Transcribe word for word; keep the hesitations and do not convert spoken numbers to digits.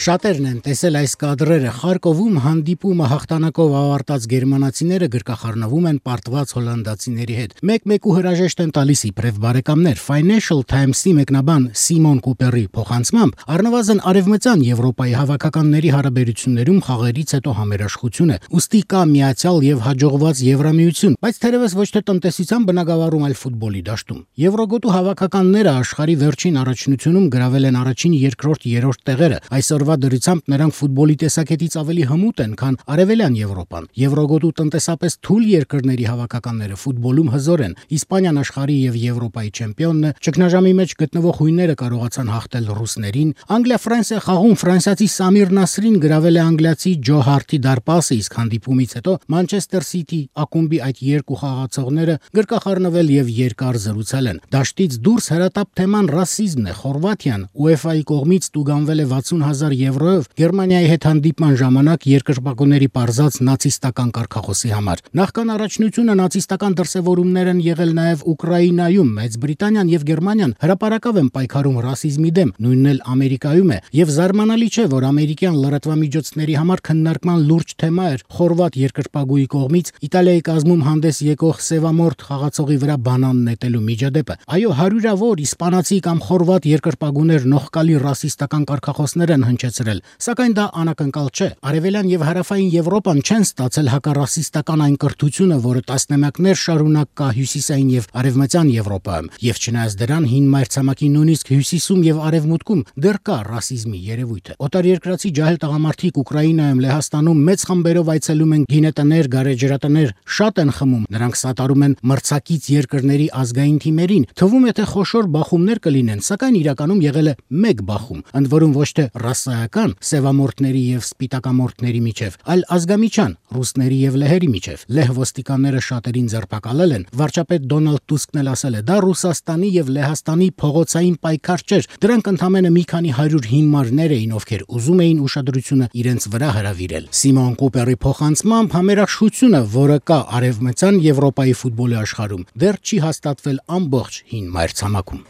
Շատերն են տեսել այս կադրերը։ Խարկովում հանդիպումը հաղթանակով ավարտած գերմանացիները գրկախառնվում են պարտված հոլանդացիների հետ։ Մեկ-մեկ ու հրաժեշտ են տալիս իբրև բարեկամներ։ Financial Times-ի մեկնաբան Սիմոն Կուպերի փոխանցմամբ առնվազն արևմտյան Եվրոպայի հավաքականների հարաբերություններում խաղերից հետո համերաշխություն է։ Ուստի կա միացյալ եւ հաջողված Եվրամիություն, բայց թերևս ոչ թե տնտեսության բնագավառում, այլ ֆուտբոլի դաշտում։ Եվրոգոտու հավաքականները աշխարհի վերջին առաջնությունում գրավել են առաջին, երկրորդ, երրորդ տեղերը։ Այսօրվա դրությամբ նրանք ֆուտբոլի տեսակետից ավելի հմուտ են, քան արևելյան Եվրոպան։ Եվրոգոտու տնտեսապես թույլ երկրների հավաքականները ֆուտբոլում հզոր են։ Իսպանիան աշխարհի եւ Եվրոպայի չեմպիոնն է, ճգնաժամի մեջ գտնվող հույները կարողացան հաղթել ռուսներին։ Անգլիա-Ֆրանսիա խաղում ֆրանսիացի Սամիր Նասրին գրավել է անգլիացի Ջո Հարթի դարպասը, իսկ հանդիպումից հետո Մանչեսթեր Սիթի ակումբի այդ երկու խաղացողները գրկախառնվել եւ երկար զրուցել են։ Դաշտից դուրս հրատապ թեման ռասիզմն է։ Խորվաթիան ՈՒԵՖԱ-ի կողմից տուգանվել է վաթսուն հազար եվրոյով Գերմանիայի հետ հանդիպման ժամանակ երկրպագուների պարզած նացիստական կարգախոսի համար։ Նախքան առաջնությունը նացիստական դրսևորումներ են եղել նաև Ուկրաինայում։ Մեծ Բրիտանիան եւ Գերմանիան հրապարակավ են պայքարում ռասիզմի դեմ, նույնն էլ Ամերիկայում է, եւ զարմանալի չէ, որ ամերիկյան լրատվամիջոցների համար քննարկման լուրջ թեմա էր խորվաթ երկրպագուի կողմից Իտալիայի կազմում հանդես եկող սևամորթ խաղացողի վրա բանան նետելու միջադեպը։ Այո, հարյուրավոր իսպանացի կամ խորվաթ երկրպագուներ նողկալի ռասիստական կարգախոսներ են հնչեցրել, սակայն դա անակնկալ չէ։ Արևելյան եւ հարավային Եվրոպան չեն ստացել հակառասիստական այն կրթությունը, որը տասնամյակներ շարունակ կա հյուսիսային եւ արևմտյան Եվրոպայում, եւ չնայած դրան հին մայրցամաքի նույնիսկ հյուսիսում եւ արևմուտքում դեռ կա ռասիզմի երևույթը։ Օտարերկրացի ջահել տղամարդիկ Ուկրաինայում, Լեհաստանում մեծ խմբերով այցելում են գինետներ, գարեջրատներ, շատ են խմում, նրանք սատարում են մրցակից երկրների ազգային թիմերին, թվում է թե խոշոր բախումներ կլինեն, սակայն իրականում եղել է մեկ բախում, ընդ որում ոչ թե ռասայական սևամորթների եւ սպիտակամորթների միջև, այլ ազգամիջյան ռուսների եւ լեհերի միջև։ Լեհ ոստիկանները շատերին ձերբակալել են։ Վարչապետ Դոնալդ Տուսկն էլ ասել է, դա Ռուսաստանի եւ Լեհաստանի փողոցային պայքար չէր, դրանք ընդամենը մի քանի հարյուր հիմարներ էին, ովքեր ուզում էին ուշադրությունը իրենց վրա հրավիրել։ Սիմոն Կուպերի փոխանցմամբ համերաշխությունը, որը կա արևմտյան Եվրոպայի ֆուտբոլի աշխարհում, դեռ չի հաստատվել ամբողջ հին մայրցամաքում։